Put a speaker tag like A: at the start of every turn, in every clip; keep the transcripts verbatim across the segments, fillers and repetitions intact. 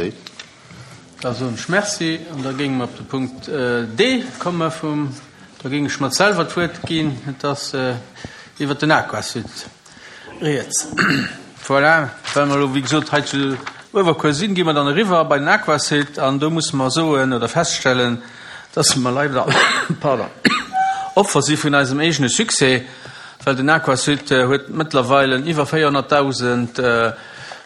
A: Solidaritéit.
B: Da soen ech Merci an da géinge mer op de Punkt D komme vum, da géing ech mer selwer d'Wuert ginn, et ass iwwert den Aquasud rieds. Voilà, well mer elo wéi gesot hei zu Uewerkuer sinn, gi mer dann eriwwer bei den Aquasud an do musse mer soen oder feststellen, dass mer leider, pardon, Opfer si vun eisem eegene Succès, well den Aquasud huet mëttlerweile iwwer véierhonnertdausend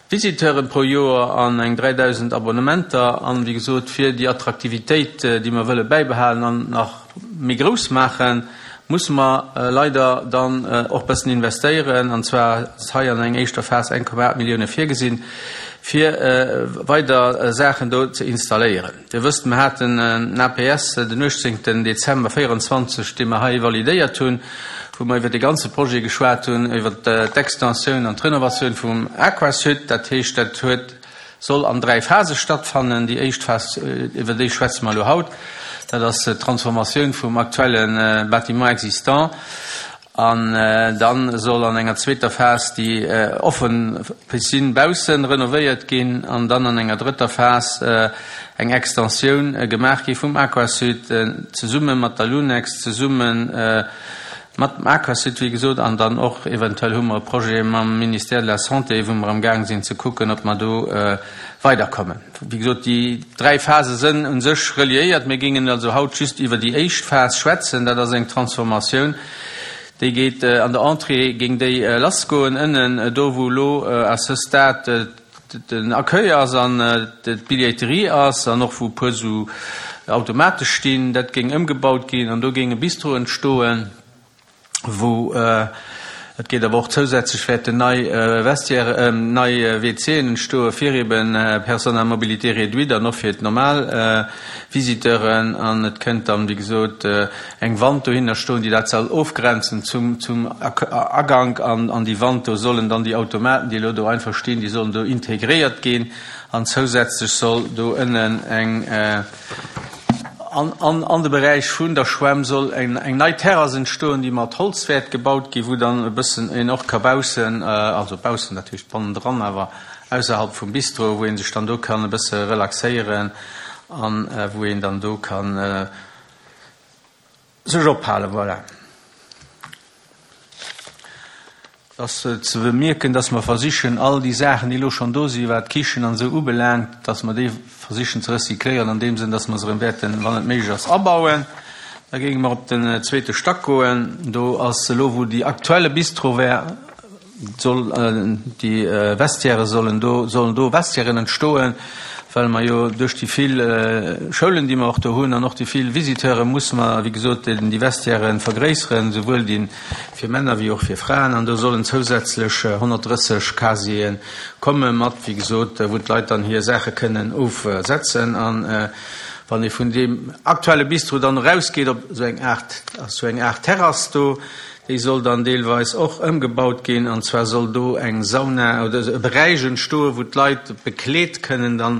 B: Visiteuren pro Joer an eng dräidausend Abonnementer an, wéi gesot, fir déi Attraktivitéit, déi mer wëlle bäibehalen an nach méi grouss maachen, musse mer leider dann och bëssen investéieren, an zwar ass hei an eng éischter Phas eng Komma aacht Millioune virgesinn, fir weider Saachen do ze installéieren. Dir wësst, mer haten en A P S den uechtzéngten Dezember véieranzwanzeg, dee mer hei validéiert hunn, wou mer iwwer de ganze Projet geschwat hunn, iwwer d'Extensioun an d'Renovatioun vum Aquasud. Dat heescht, dat huet, soll an dräi Phase stattfannen. Déi éischt Phas, iwwer déi schwätze mer elo haut, dat ass d'Transformatioun vum aktuelle Bâtiment existant. An dann soll an enger zweeter Phas déi offen Piscine baussen renovéiert ginn an dann an enger drëtter Phas eng Extensioun gemaach gi vum Aquasud zesumme mat der Lunex, zesumme mat dem Aquasud, wéi gesot, an dann och eventuell hu mer e Projet mam Ministère de la Santé, wou mer am Gaang sinn ze kucken, ob mer do weiderkommen. Wéi gesot, déi dräi Phase sënn u sech reliéiert. Mir géingen also haut just iwwer déi éischt Phas schwätzen. Dat ass eng Transformatioun, déi geet an der Entrée, géing déi lassgoen ënnen do, wou elo à ce stade den Accueil ass an d'Billetterie ass an och wou e puer sou Automate stinn. Dat géing ëmgebaut ginn an do géing e Bistro entstoen, wou et geet awer och zousätzlech wäerten nei Vestiaire, nei W C en entstoe fir eben Personnes à mobilité réduite an och fir d'normal Visiteuren, an et kënnt dann, wéi gesot, eng Wand dohinner stoen, déi dat soll ofgrenzen zum zum Agank, an an déi Wand do sollen dann déi Automaten, déi elo do einfach stinn, déi sollen do integréiert ginn, an zousätzlech soll do ënnen eng An, an, an de Beräich vun der Schwämm soll eng, eng nei Terrass entstoen, déi mat Holz wäert gebaut ginn, wou dann e bëssen een och ka baussen, also baussen, dat heescht bannendran, awer ausserhalb vum Bistro, wou ee sech dann do kann e bësse relaxéieren an wou een dann do kann sech ophalen. Voilà. Et ass ze bemierken, dass mer versichen, all déi Saachen, déi elo schonn do sinn, wat d'Kichen an esou ubelaangt, dass mer déi versichen ze recycléieren an deem Sënn, dass mer se erëm wäerten, wann et méiglech ass, abauen. Da géinge mer op den zweete Stack goen. Do ass elo, wou déi aktuelle Bistro wär, soll déi Vestiaire sollen do, sollen do Vestiairen entstoen, well mer jo duerch déi vill Schoulen, déi mer och do hunn, an och déi vill Visiteure musse mer, wéi gesot, déi Vestiairen vergréisseren, souwuel déi fir Männer wéi och fir Fraen. An do sollen zousätzlech honnertdrësseg Casiere komme mat, wéi gesot, wou d'Leit dann hir Saache kënnen ofsetzen. An wann ee vun deem aktuelle Bistro dann erausgeet op esou eng Aart, ass esou eng Aart Terrass do, déi soll dann deelweis och ëmgebaut ginn, an zwar soll do eng Sauna oder e Beräich entstoen, wou d'Leit bekleet kënnen dann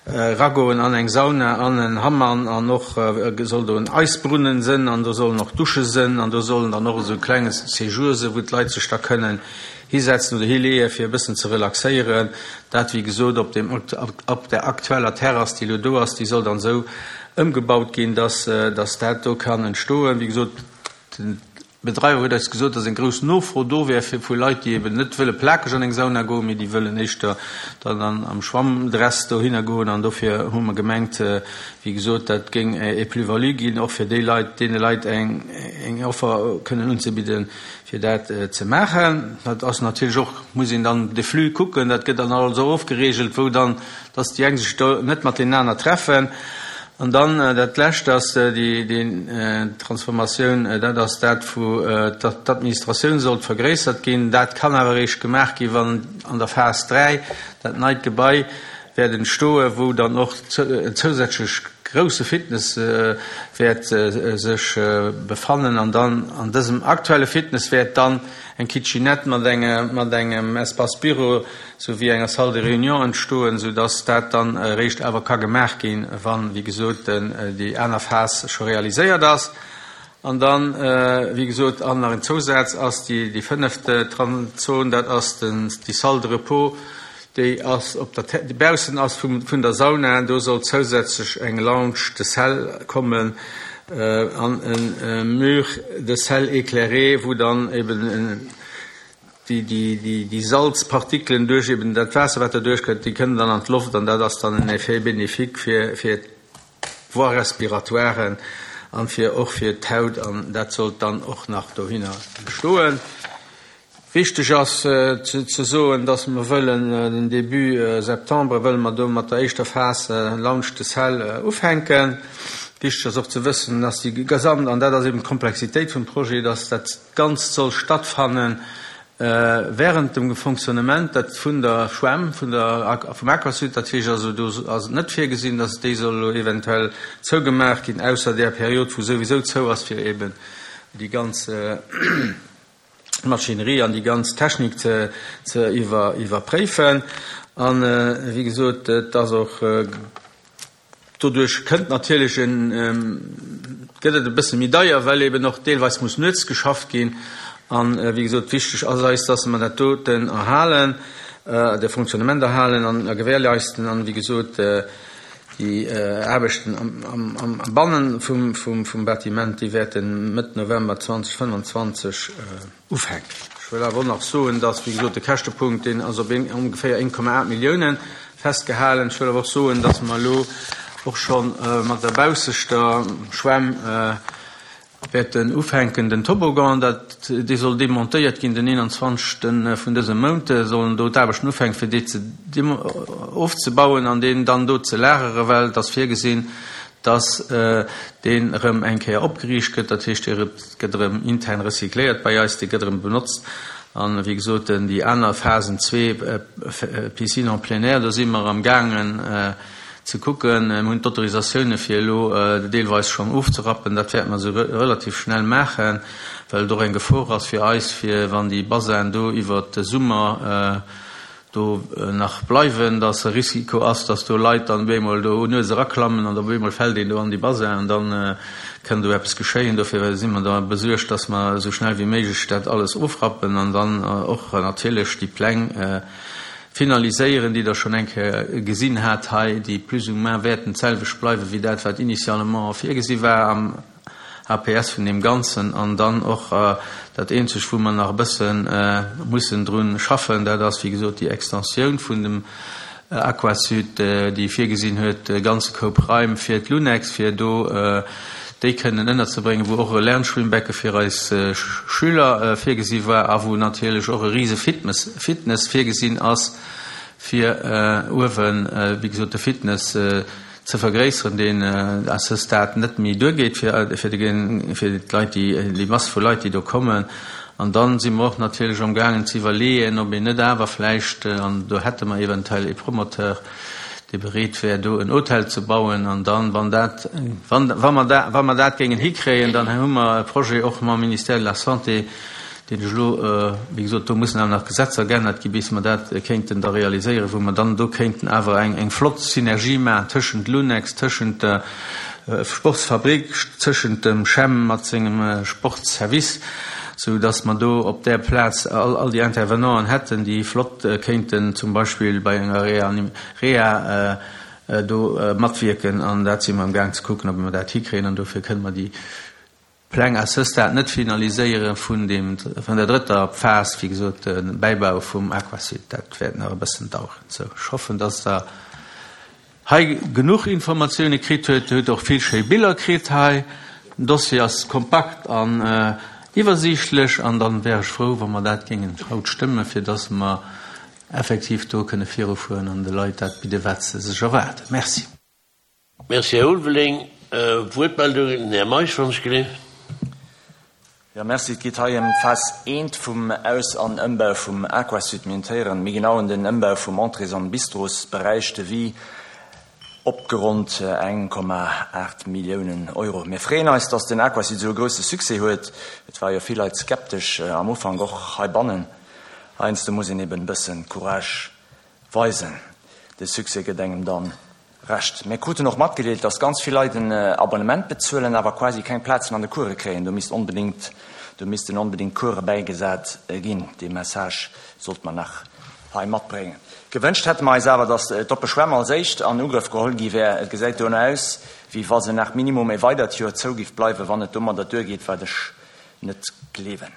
B: eragoen an eng Sauna, an en Hammam, an och soll do en Eisbrunnen sënn an do sollen och Dusche sënn an do sollen dann och esou e klenge Séjour sinn, wou d'Leit sech da kënnen hisetzen oder hileeë fir e bëssen ze relaxéieren. Dat, wéi gesot, op dem, op der aktueller Terrass, déi elo do ass, déi soll dann esou ëmgebaut ginn, dass, dass dat do kann entstoen. Wéi gesot, den Bedreiwer huet eis gesot, datt eng grouss Nofro do wär fir vu Leit, déi eben net wëlle plakeg an eng Sauna goen, mee déi wëllen éischter dann an am Schwammdress dohinner goen. An dofir hu mer gemengt, wéi gesot, dat géing e Plus-value ginn, och fir déi Leit, deene Leit eng eng Offer kënnen unzebidden, fir dat ze maachen. Dat ass natierlech och, muss een dann de Flux kucken, dat gëtt dann alles och ofgeregelt, wou dann, datt déi eng sech do net mat deenen aner treffen. An dann dat Lescht ass déi Transformatioun, dat ass dat wou d'Administratioun sollt vergréissert ginn. Dat kann awer eréischt gemaach ginn, wann an der Phas dräi dat neit Gebai wäert entstoen, wou dann och en zousätzlech grouse Fitness wäert sech befannen. An dann an dësem aktuelle Fitness wäert dann eng Kitchenette mat engem Espace bureau souwéi enger Salle de réunion entstoen, soudass dat dann eréischt awer ka gemaach ginn, wann, wéi gesot, déi aner Phas scho realiséiert ass. An dann, wéi gesot, an nach en Zousaz ass déi, déi fënneft Zon, dat ass den, déi Salle de repos, déi ass op der déi baussen ass vum vun der Sauna. Do soll zousätzlech eng Lounge de sel kommen an e Mur de sel éclairé, wou dann eben déi déi déi déi Salzpartikelen duerch eben dat Waasser, wat da duerchkënnt, déi kënnen dann an d'Loft an dat ass dann en Effet bénéfique fir fir d'Voies respiratoires an fir och fir d'Haut an dat sollt dann och nach dohinner stoen. Wichteg ass ze soen, dass mer wëllen den Début septembre wëlle mer do mat der éischter Phas Lounge de sel ufänken. Wichteg ass och ze wëssen, dass déi gesamt, an dat ass eben d'Komplexitéit vum Projet, dass dat Ganzt soll stattfannen während dem Fonctionnement dat vun der Schwämm, vun der, vum Aquasud. Dat heescht also, do ass et net virgesinn, dass déi soll elo eventuell zougemaach ginn, ausser där Period, wou souwisou zou ass, fir eben déi ganz Maschinerie an déi ganz Technik ze ze iwwer iwwerpréifen. An, wéi gesot, et ass och, Doduerch kënnt natierlech en, gëtt et e bësse méi deier, well eben och deelweis muss nuets geschafft ginn. An, wéi gesot, wichteg ass eis, dass mer dat doten erhalen, de Fonctionnement erhalen an a gewährleisten an, wéi gesot, déi Aarbechten am, am, am Bannen vum, vum, vum Bâtiment, déi wäerte Mëtt November zweedausendfënnwanzwanzeg ufänken. Ech wëll awer och nach soen, dass, wéi gesot, de Käschtepunkt, deen ass op ongeféier een Komma aacht Milliounen festgehalen. Ech wëll awer och soen, dass mer elo och scho mat der baussechter Schwämm wäerten ufänken, den Toboggan, dat, dee soll demontéiert ginn den eenanzwanzegste vun dësem Mount, sollen do d'Aarbechten ufänken, fir dee ze ofzebauen an deen dann do ze lagere, well et ass virgesinn, dass deen erëm eng Kéier opgeriicht gëtt, dat heescht, dee gëtt erëm intern recycléiert bei eis, dee gëtt erëm benotzt. An, wéi gesot, déi aner Phasen zwee, Piscine en plein air, do si mer amgaangen ze kucken. Mir hunn d'Autorisatioune fir elo deelweis schonn ofzerappen. Dat wäerte mer esou relativ schnell maachen, well et och eng Gefor ass fir eis, fir wann déi Bassinen do iwwert de Summer do nach bleiwen, dass e Risiko ass, dass do Leit dann op eemol do nuets eraklammen an op eemol fält een do an déi Bassin an dann kënn do eppes geschéien. Dofir si mer da besuergt, dass mer esou schnell wéi méiglech dat alles ofrappen an dann och natierlech déi Pläng finaliséieren, déi Der schonn eng Kéier gesinn hat hei, déi plus ou moins wäerten d'selwecht bleiwe wéi dat, wat initialement virgesi war am A P S vun deem Ganzen. An dann och dat Eenzegt, wou mer nach e bësse mussen drun schaffen, dat ass, wéi gesot, déi Extensioun vun dem Aquasud, déi virgesinn huet, e ganze Koup Raim fir d'Lunex, fir do déi kënnen ënnerzebréngen, wou och e Lernschwimmbecke fir eis Schüler virgesi war a wou natierlech och e rise Fitness virgesinn ass, fir uewen, wéi gesot, de Fitness ze vergréisseren, deen à ce stade net méi duergeet fir fir d'Leit, déi déi Mass vu Leit, déi do kommen. An dann si mer och natierlech amgaangen ze iwwerleeën, ob een net awer vläicht, an do hätte mer eventuell ee Promoteur, dee bereet wär, do en Hotel ze bauen, an dann, wann dat, wann, wa mer dat, wa mer dat géingen hikréien, dann hu mer e Projet och mam Ministère de la Santé, deen ech elo, wéi gesot, do mussen awer nach Gesetzer geännert gi bis mer dat kéinten da realiséieren, wou mer dann do kéinten awer eng, eng flott Synergie maachen tëschent Lunex, tëschent der Sportsfabrik, tëschent dem CHEM mat sengem Sportsservice, sou dass mer do op där Plaz all, all déi Intervenanten hätten, déi flott kéinten zum Beispill bei enger Reha do matwierken. An dat si mer amgaang ze kucken, ob mer dat hikréien. An dofir kënne mer déi Pläng à ce stade net finaliséiere vun deem, vun der drëtter Phas, wéi gesot, de Bäibau vum Aquasud. Dat wäert nach e bëssen daueren. Sou, ech hoffen, dass Der hei genuch Informatioune kritt huet. Dir hutt och vill schéi Biller kritt hei. Den Dossier ass kompakt an iwwersiichtlech. An dann wär ech frou, wa mer dat géingen haut stëmmen, fir dass mer effektiv do kënne virufueren an de Leit dat bidden, wat se sech erwaarden. Merci.
A: Merci, Här Ulveling. Wuertmeldungen? Den Här Meisch, wann ech geleeft.
C: Jo, merci. Et geet hei ëm d'Phas eent vum Aus an Ëmbau vum Aquasud. Mir intéieren méi genau un den Ëmbau vum Entrées an Bistrosberäich, Devis opgeronnt eng Komma aacht Milliounen Euro. Mir freeën eis, dass den Aquasud esou e grousse Succès huet. Et ware jo vill Leit skeptesch am Ufank, och heibannen. Heiansdo muss een eben e bësse Courage weisen. De Succès gëtt engem dann Recht. Mir kruten och matgedeelt, dass ganz vill Leit en Abonnement bezuelen, awer quasi keng Plazen an de Course kréien. Do misst onbedéngt, do missten onbedéngt Course bäigesat ginn. Dee Message sollte mer nach hei matbréngen. Gewënscht hätte mer eis awer, dass d'oppe Schwämm als éischt an Ugrëff geholl gi wär. Et gesäit dono aus, wéi wa se nach minimum e weidert Joer zou giff bleiwen, wann et domadder duergeet, wat ech net gleewen.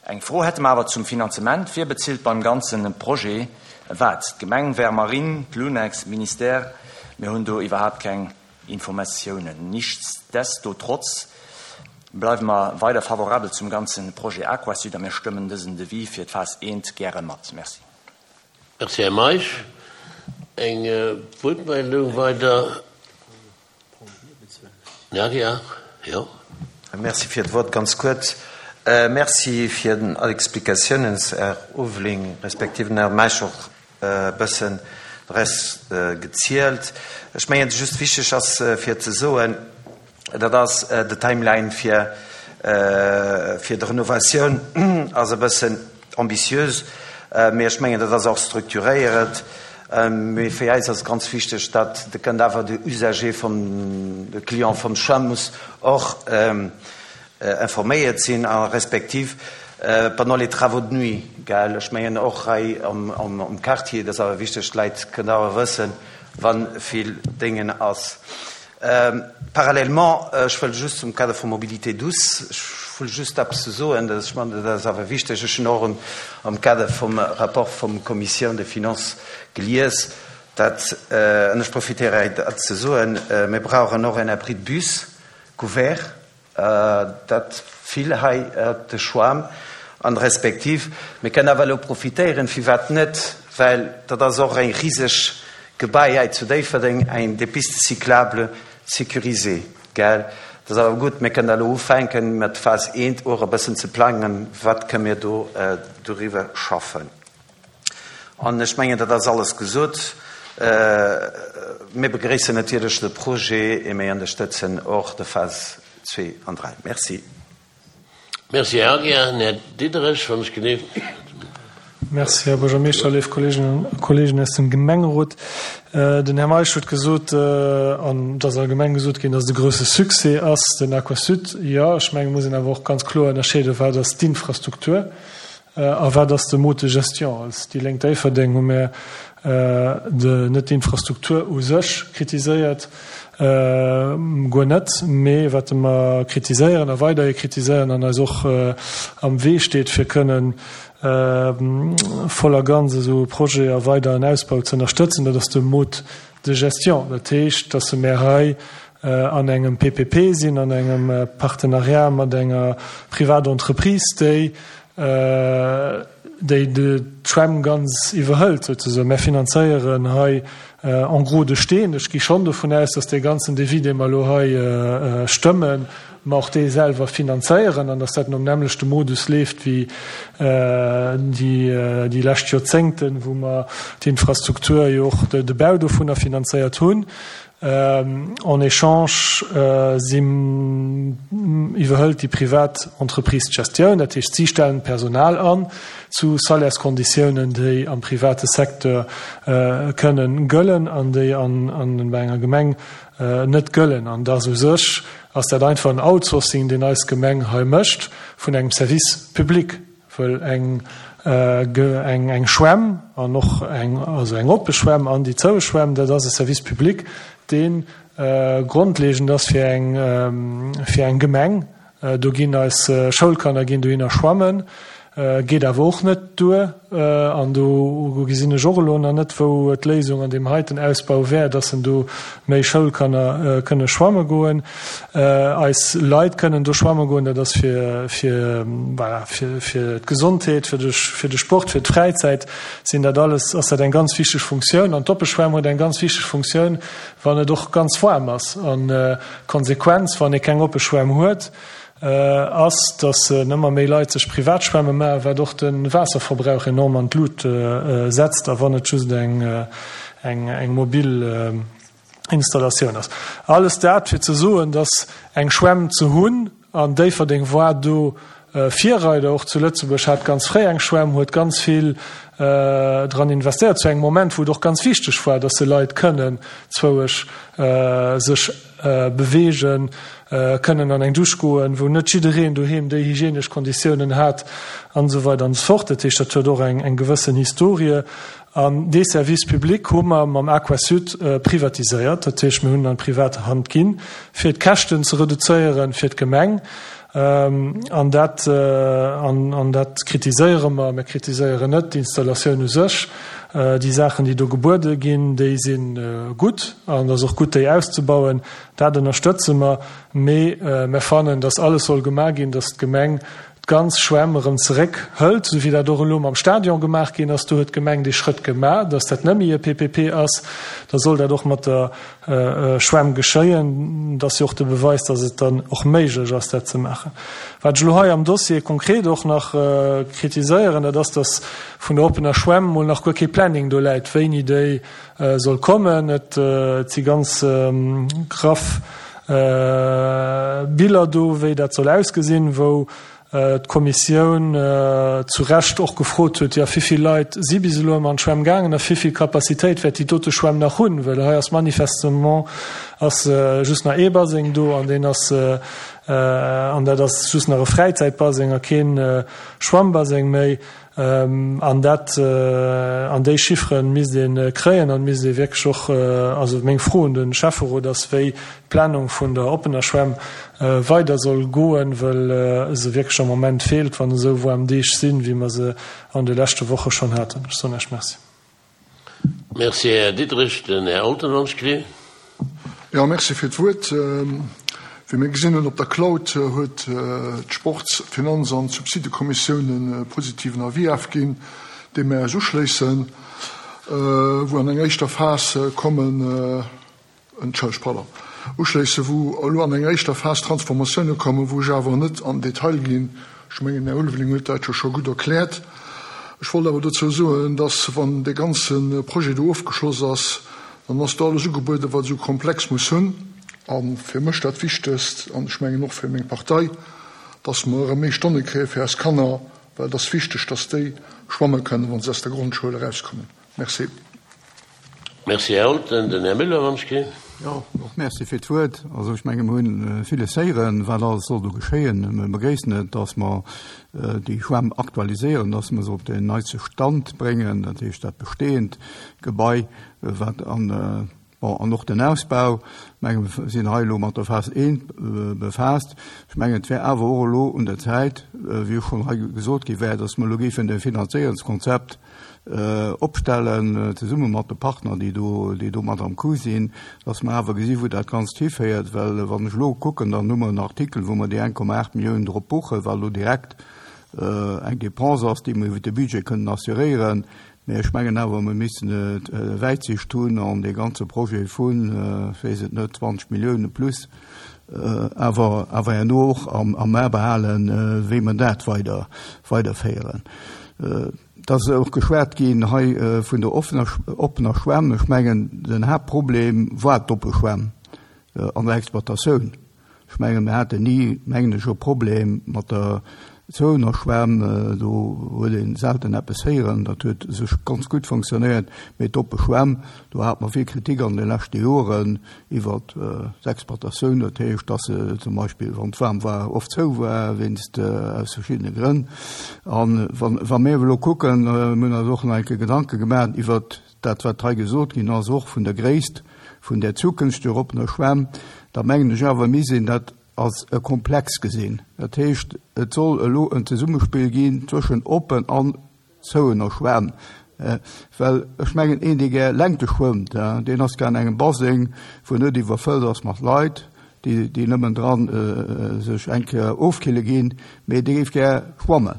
C: Eng Fro hätte mer awer zum Finanzement, Wie bezilt beim ganze Projet wat? D'Gemeng, Vermarine, d'Lunex, Ministère? Mir hunn do iwwerhaapt keng Informatiounen. Nichtsdestotrotz bleiwe mer weider favorabel zum ganze Projet Aquasud a mir stëmmen dësen Devis fir d'Phas eent gäre mat. Merci.
A: Merci, Här Meisch. Eng Wuertmeldung weider? Ja, ja, jo.
D: Merci fir d'Wuert. Ganz kuerz, Merci fir all Explikatiounen, Här Ulveling, respektiv den Här Meisch och e bëssen de Rest gezielt. Ech mengen, just wichteg ass fir ze soen, dat ass de Timeline fir fir d'Renovatioun ass e bëssen ambitiös, mee ech mengen, dat ass och strukturéiert. Mee fir eis ass ganz wichteg, datt de kënnt awer de Usager vum, de Client vum Schwämm muss och informéiert sinn a respektiv pendant les travaux de nuit, gell, ech mengen och hei am am Quartier, dat ass awer wichteg, d'Leit kënnen awer wëssen, wa vill Déngen ass. Parallèlement, ech wëll just zum Kader vu Mobilité douce, ech wëll just eppes ze soen, dat ech mengen, dat ass awer wichteg, ech hunn och am Kader vum Rapport vum Commission des Finances gelies, dat, an ech profitéiere hei dat ze soen, mir brauchen och en Abri de bus couvert, dat vill hei op de Schwam, an respektiv mir kënnen awer elo profitéieren, firwat net, well dat ass och eng riseg Gebai hei zu Déifferdeng, eng des pistes cyclables sécurisées, gell. Dat ass awer gutt, mir kënnen elo ufänken mat Phas eent och e bëssen ze plangen, wat kënnen mir do doriwwer schaffen. An ech mengen, dat ass alles gesot. Mir begréissen natierlech de Projet et mir ënnerstëtzen och de Phas zwee an dräi. Merci.
A: Merci, Här Aguiar. Här Diderich, wann ech genee.
E: Merci, Här Buergermeeschter, léif Kolleeginnen a Kolleegen aus dem Gemengerot. Den Här Meisch huet gesot, an et ass allgemeng gesot ginn, dass et e grouse Succès ass, den Aquasud. Jo, ech mengen, et muss een awer och ganz kloer ënnerscheeden, wat ass d'Infrastruktur a wat ass de Mode de gestion. Als déi Lénk Déifferdeng hu mir net d'Infrastruktur u sech kritiséiert, guer net, mee wat mer kritiséieren a weiderhi kritiséieren an eis och am Wee steet, fir kënnen voll a ganz esou e Projet a weideren Ausbau ze ënnerstëtzen, dat ass de Mode de gestion. Dat heescht, dass mer hei an engem P P P sinn, an engem Partenariat mat enger Privatentreprise, déi déi d'Schwämm ganz iwwerhëlt, souzesoen. Mir finanzéieren hei en gros de Steen. Ech gi schonn dovun aus, dass dee ganzen Devis, dee mer elo hei stëmmen, mer och dee selwer finanzéieren an dass dat nom nämmlechte Modus leeft wéi déi lescht Joerzéngten, wou mer d'Infrastruktur jo och de Bau dovunner finanzéiert hunn. En échange si iwwerhëlt déi privat Entreprise d'Gestioun, dat heescht si stellen d'Personal an zu Salärskonditiounen, déi am private Secteur kënnen gëllen an déi an bei enger Gemeng net gëllen. An dass u sech ass dat einfach en Outsourcing, deen eis Gemeng hei mécht vun engem Service public, wëll eng eng eng Schwämm an och eng also eng oppe Schwämm an déi zoue Schwämm, dat ass e Service public, dee grondlegend ass fir eng fir eng Gemeng. Do ginn eis Schoulkanner ginn dohinner schwammen, geet awer och net duer. An do gesinn ech och elo nach net, wou d'Léisung an deem heiten Ausbau wär, dass en do méi Schoulkanner kënne schwamme goen. Eis Leit kënnen do schwamme goen, dat ass fir fir voilà fir fir d'Gesondheet, fir de fir de Sport, fir d'Fräizäit sinn dat alles, ass dat eng ganz wichteg Funktioun. An d'Oppeschwämm huet eng ganz wichteg Funktioun, wann et och ganz waarm ass. An d'Konsequenz, wann ee keng Oppeschwämm huet, ass, dass ëmmer méi Leit sech privat Schwämme maachen, wat och de Waasserverbrauch enorm an d'Lut setzt, a wann et just eng eng eng mobil Installatioun ass. Alles dat fir ze soen, dass eng Schwämm ze hunn, an Déifferdeng war do Virreider och zu Lëtzebuerg, hat ganz fréi eng Schwämm, huet ganz vill dran investéiert, zu engem Moment, wou et och ganz wichteg war, dass se Leit kënnen zwouesch sech beweegen, kënnen an eng Dusch goen, wou net jiddereen doheem déi hygienesch Konditiounen hat an esou weider an esou fort. Dat heescht, dat huet och eng eng gewëssen Historie. An dee Service public hu mer mam Aquasud privatiséiert. Dat heescht, mir hunn en an privat Hand ginn, fir d'Käschten ze reduzéieren fir d'Gemeng. An dat, an dat kritiséiere mer. Mir kritiséieren net d'Installatioun u sech. Déi Saachen, déi do gebuede ginn, déi si gutt an et ass och gutt, déi auszebauen. Dat ënnerstëtze mer. Mee mir fannen, dass alles soll gemaach ginn, dass d'Gemeng d'ganz Schwämm erëm zeréckhëlt, esou wéi dat och elo mam Stadion gemaach ginn ass. Do huet d'Gemeng dee Schrëtt gemaach, dass dat net méi e P P P ass. Da soll dat och mat der Schwämm geschéien. Dat ass jo och de Beweis, dass et dann och méiglech ass, dat ze maachen. Wat ech elo hei am Dossier konkret och nach kritiséieren, dat ass, dass vun der oppener Schwämm mol nach guer kee Planning do läit, wéini déi soll kommen. Et si ganz graff Biller do, wéi dat soll ausgesinn, wou d'Kommissioun zu Recht och gefrot huet, jo, wéivill Leit si bis elo ëmmer an d'Schwämm gaangen a wéivill Capacitéit wäert déi dote Schwämm nach hunn, well hei ass manifestement ass just nach ee Baseng do an deen ass, an dat ass just nach e Fräizäitbaseng a keen Schwammbaseng méi. An dat, an déi Chiffere misst ee kréien an misst ee wierklech och, also meng Fro un de Schäfferot ass, wéi d'Planung vun der oppener Schwämm weider soll goen, well se wierklech am Moment feelt, wann esou waarm Deeg sinn, wéi mer se an de leschte Woche schonn haten. Ech soen Iech Merci.
A: Merci, Här Diderich. Den Här Olten.
F: Jo, merci fir d'Wuert. Wéi mir gesinn hunn op der Cloud, huet d'Sports-, Finanz an Subsidekommissioun e positiven Avis ofginn, deem mir eis uschléissen, wou an enger éischter Phas kommen, entschëllegt, pardon, uschléissen, wou elo an enger éischter Phas Transformatioune kommen, wou ech awer net an Detail ginn. Ech mengen, den Här Ulveling huet dat jo scho gutt erkläert. Ech wollt awer dozou soen, dass, wann dee ganze Projet do ofgeschloss ass, dann ass do alles ugebueden, wat esou Komplex muss hunn. A fir mech dat Wichtegst, an ech mengen och fir meng Partei, dass mer erëm méi Stonne kréie fir eis Kanner, well et ass wichteg, dass déi schwamme kënnen, wa se aus der Grondschoul erauskommen. Merci.
A: Merci, Här Olten. Den Här Müller, wann ech ginn.
G: Jo, och Merci fir d'Wuert. Also ech menge mir hunn villes héieren, wat alles soll do geschéien. Mir begréissen et, dass mer déi Schwämm aktualiséieren, dass mer se op den neiste Stand bréngen, dat heescht dat bestehend Gebai, wat an Bon, an och den Ausbau, menge mir sinn hei elo mat der Phas eent befaasst. Ech mengen, et wär awer och elo un der Zäit, wéi och schonn hei gesot gi wär, dass mer elo géifen e Finanzéierungskonzept opstellen, zesumme mat de Partner, déi do, déi do mat am Coup sinn, dass mer awer gesi wou dat Ganzt hiféiert. Well wann ech elo kucken, dann hu mer en Artikel, wou mer déi eng Komma aacht Milliounen drop buchen, wat elo direkt eng Dépense ass, déi mer iwwer de Budget kënnen assuréieren. Mee ech mengen awer, mir missten et Wäitsicht hunn an dee ganze Projet vun, ech weess et net, zwanzeg Milliounen plus awer awer herno och am am A behalen, wéi mer dat weider weiderféieren. Et ass och geschwat ginn hei vun der offener oppener Schwämm. Ech mengen, den Haaptproblem war d'oppe Schwämm an der Exploitatioun. Ech mengen, mir haten ni, mengen ech, e Problem mat der zouener Schwämm, do huet ee selten eppes héieren, dat huet sech ganz gutt fonctionnéiert. Mee d'oppe Schwämm, do hate mer vill Kritik an de leschte Joren iwwert d'Exploitatioun, dat heescht, dass se zum Beispill, wann et waarm war, oft zou war, wéinst, aus verschiddene Grënn. A wa mir elo kucken, mir hunn eis och nach eng Kéier Gedanke gemaach iwwert dat, wat hei gesot ginn ass, och vun der Gréisst vun där zukünfteger oppener Schwämm, da mengen ech awer, mir sinn dat als e Komplex gesinn. Dat heescht, et soll elo en Zesummespill ginn zwëschen oppen an zouener Schwämm. Well ech mengen, een, dee gär Längte schwëmmt, deen ass gär an engem Baseng, wou net iwwerfëllt ass mat Leit, déi, déi nëmmen dran sech eng Kéier ofkille ginn, mee dee géif gär schwammen.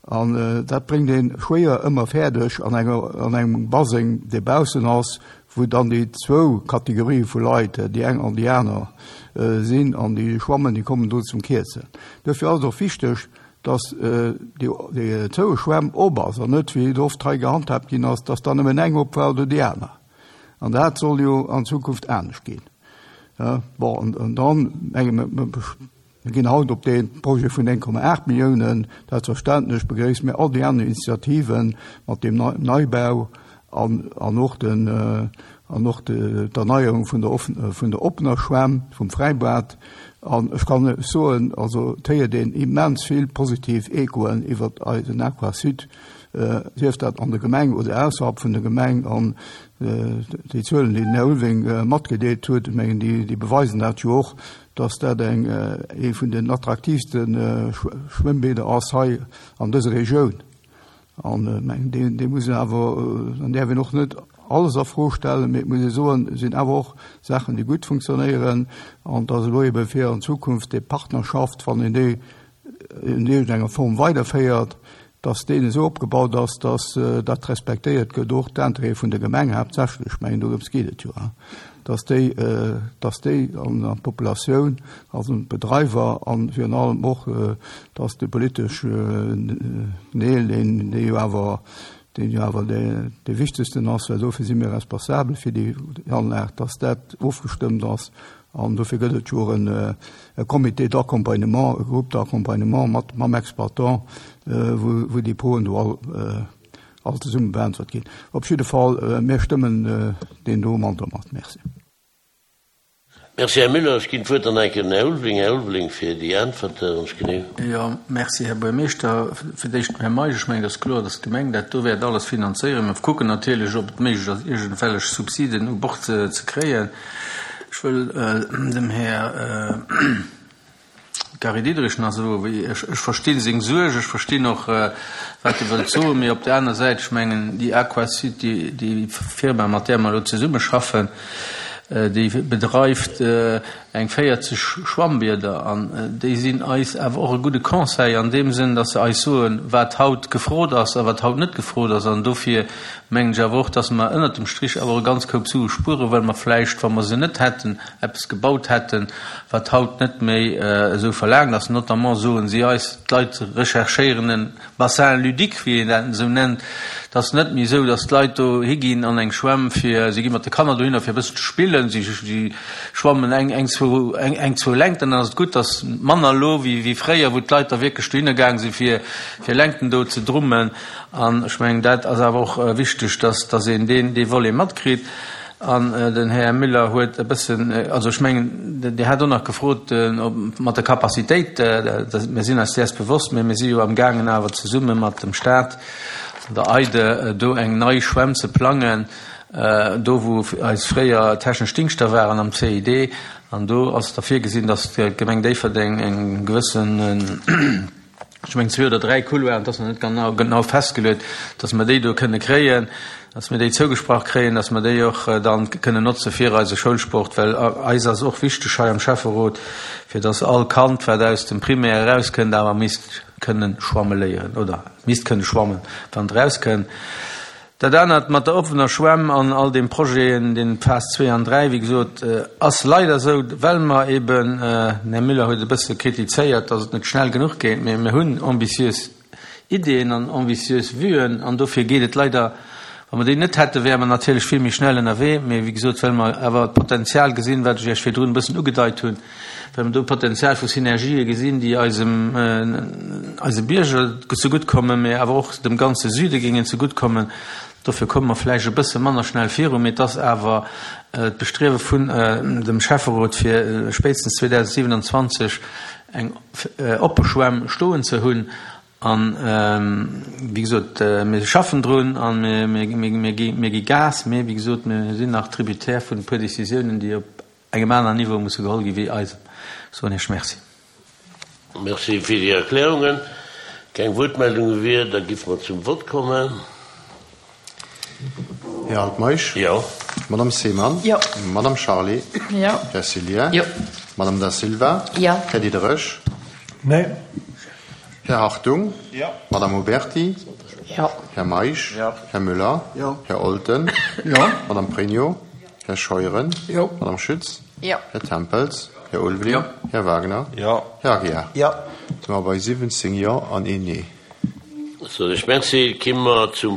G: An dat bréngt ee schwéier ëmmer fäerdeg an enger, an engem Baseng, dee baussen ass, wou dann déi zwou Kategorië vu Leit, déi eng an déi aner, sinn an déi schwammen, déi kommen do zum Kierzen. Duerfir ass et och wichteg, dass déi, déi zoue Schwämm op ass an net, wéi et oft hei gehandhaabt ginn ass, dass dann nëmmen eng op war oder déi aner. An dat soll jo an Zukunft anescht ginn. Bon, an, an dann menge mer, mir ginn haut op dee Projet vun eng Komma aacht Milliounen, selbstverständlech begréisse mir all déi aner Initiativen mat deem Neibau an, an och den, an och d'Erneierung vun der vun der oppener Schwämm, vum Fräibad. An ech kann lech soen, also et héiert een immens vill positiv Echoen iwwer eisen Aquasud, sief dat an der Gemeng oder ausserhalb vun der Gemeng. An déi Zuelen, déi den Här Ulveling matgedeelt huet, ech mengen, déi beweisen dat jo och, dass dat eng ee vun den attraktiivste Schwëmmbäder ass hei an dëser Regioun. An ech mengen, dee dee muss een awer, dann däerf een och net alles a Fro stellen, mee et muss ee soen, et sinn awer och Saachen, déi gutt funktionéieren. An dass elo ebe fir an Zukunft déi Partnerschaft, wann een déi in iergendenger Form weiderféiert, dass deen esou opgebaut ass, dass dat respektéiert gëtt, och d'Intérêtë vun der Gemeng haaptsächlech, ech mengen dorëms geet et jo, dass déi, dass déi an d'Populatioun, also d'Bedreiwer an virun allem och, dass de politesch Deel, deen, dee jo awer, deen jo awer dee, dee wichtegsten ass, well dofir si mir responsabel fir déi Anlag, dass dat ofgestëmmt ass. An dofir gëtt et jo och e Comité d'accompagnement, e Groupe d'accompagnement mat mam Exploitant, wou, wou déi Froen do all, all zesumme beäntwert ginn. Op jidde Fall, mir stëmmen deen do monter mat. Merci.
A: Merci, Här Müller. Ech ginn d'Wuert dann eng Kéier den Här Ulveling. Här Ulveling, fir déi Äntwerte ganz genee.
B: Jo, merci, Här Buergermeeschter. Fir d'éischt dem Här Meisch, Ech mengen, et ass kloer, dass d'Gemeng dat do wäert alles finanzéieren. Mir kucken natierlech, ob et méiglech ass, iergendwellech Subsiden u Bord ze kréien. Ech wëll dem Här Gary Diderich nach soen, wéi ech, ech verstinn seng Suerg, ech verstinn och, wat e wëllt soen, mee op där aner Säit, ech mengen, déi Aquasud, déi, déi Firma, mat där mer elo zesummeschaffen, déi bedreift eng véierzeg Schwambieder an déi sinn eis awer och e gudde Conseil an deem Sënn, dass se eis soen, wat haut gefrot ass a wat haut net gefrot ass. An dofir mengen ech awer och, dass mer ënnert dem Strich awer och e ganz Koup Sue spueren, well mer vläicht, wa mer se net hätten, eppes gebaut hätten, wat haut net méi esou verlaangt ass. Notamment soen si eis, d'Leit recherchéieren e Bassin ludique, wéi een dat esou nennt. Et ass net méi esou, dass d'Leit do higinn an eng Schwämm, fir, si gi mat de Kanner dohinner, fir e bëssen ze spillen. Si, si schwammen eng, eng, zwou, eng, eng, zwou Längten, dann ass et gutt. Et ass manner elo wéi, wéi fréier, wou d'Leit da wierklech dohinner gaang sinn, fir, fir Längten do ze drummen. An ech mengen, dat ass awer och wichteg, dass, dass een deen, dee Volet matkritt. An den Här Müller huet e bëssen, also ech mengen, Dir hat och nach gefrot mat der Capacitéit, mir sinn eis däers bewosst, mä mir si jo amgaangen awer zesumme mat dem Stat an der EIDE do eng nei Schwämm ze plangen, do wou eis fréier technesch Dingschter waren am C I D. An do ass da virgesinn, datt d'Gemeng Déifferdeng eng gewëssen, ech mengen zwee oder dräi Couloiren, dat ass nach net genau, genau festgeluet, dass mer déi do kënne kréien, dass mir déi zougesprach kréien, dass mer déi och dann kënnen notze fir eise Schoulsport, well eis ass och wichteg hei am Schäfferot, fir dass all Kand, wat aus dem Primaire erauskënnt, awer misst kënnen schwamme léieren oder misst kënne schwammen, wann et erauskënnt. Dat anert mat der offener Schwämm an all deem Projeten, den Phas zwee an dräi, wéi gesot, ass leider esou, well mer eben, den Här Müller huet e bësse kritizéiert, dass et net schnell genuch geet, mä mir hunn ambitiös Ideeën an ambitiös Vuen an dofir geet et leider, wa mer déi net hätten, wäre mer natierlech vill méi schnell ënnerwee, mä wéi gesot, well mer awer d'Potenzial gesinn, wat ech Iech virdrun e bëssen ugedeit hunn, well mer do Potenzial vu Synergië gesinn, déi eisem, eise Bierger zeguttkommen, mä awer och dem ganze Süde géingen zeguttkommen, dofir komme mer vläicht e bësse manner schnell virun, mä et ass awer d'Bestriewe vun dem Schäfferot, fir spéitstens zweedausendsiewenundzwanzeg eng oppe Schwämm stoen ze hunn. An, wéi gesot, mir schaffen drun a mir gi Gas, mä wéi gesot, mir sinn nach tributaire vun e puer Décisiounen, déi op engem aneren Niveau musse geholl gi wéi eisem. Soen Iech Merci.
A: Merci fir déi Erklärungen. Keng Wuertmeldunge wier, da giff mer zum Vott kommen.
H: Här Altmeisch?
A: Jo.
H: Madame Seemann?
I: Jo.
H: Madame Charlé?
I: Jo.
H: Här Cillien?
I: Jo.
H: Madame Da Silva?
I: Jo.
H: Här Diderich?
E: Nee.
H: Här Hartung?
J: Jo.
H: Madame Oberti?
I: Jo.
H: Här Meisch?
J: Jo.
H: Här Müller?
G: Jo.
H: Här Olten?
F: Jo.
H: Madame Pregno? Här Scheuren?
G: Jo.
H: Madame Schütz?
I: Jo.
H: Här Tempels? Här Ulveling?
J: Jo.
H: Här Wagner?
J: Jo.
H: Här Aguiar?
D: Jo.
H: Si mer bei siwwenzéng Jo an een Nee.
A: Soen ech Merci. Ki mer zum